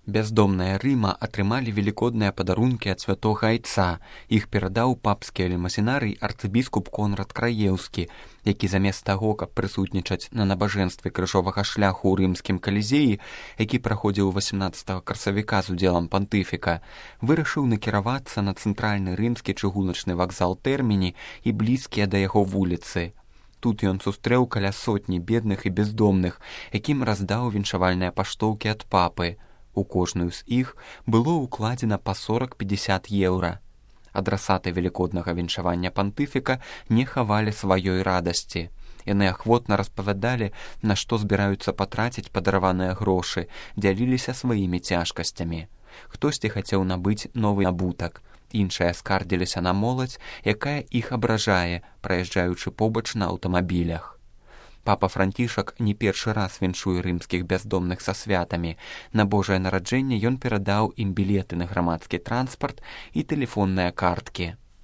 Бяздомныя Рыма атрымалі велікодныя падарункі ад святога айца. Іх перадаў папскі алімасінарый арцыбіскуп Конрад Краеўскі, які замест таго, каб прысутнічаць на набажэнстве крыжовага шляху ў рымскім калізеі, які праходзіў 18 красавіка з удзелам пантыфіка, вырашыў накіравацца на цэнтральны рымскі чыгуначны вакзал Тэрміні і блізкія да яго вуліцы. Тут ён сустрэў каля сотні бедных і бездомных, якім раздаў віншавальныя паштоўкі ад папы. У кожную з іх было ўкладзена па 40-50 еўра. Адрасаты велікоднага віншавання пантыфіка не хавалі сваёй радасці. Яны ахвотна распавядалі, на што збіраюцца патраціць падараваныя грошы, дзяліліся сваімі цяжкасцямі. Хтосьці хацеў набыць новы набутак, іншыя скардзіліся на моладзь, якая іх абражае, праязджаючы побач на аўтамабілях. Папа Францішак не першы раз віншуе рымскіх бяздомных са святамі. На Божае нараджэнне ён перадаў ім білеты на грамадскі транспарт і тэлефонныя карткі.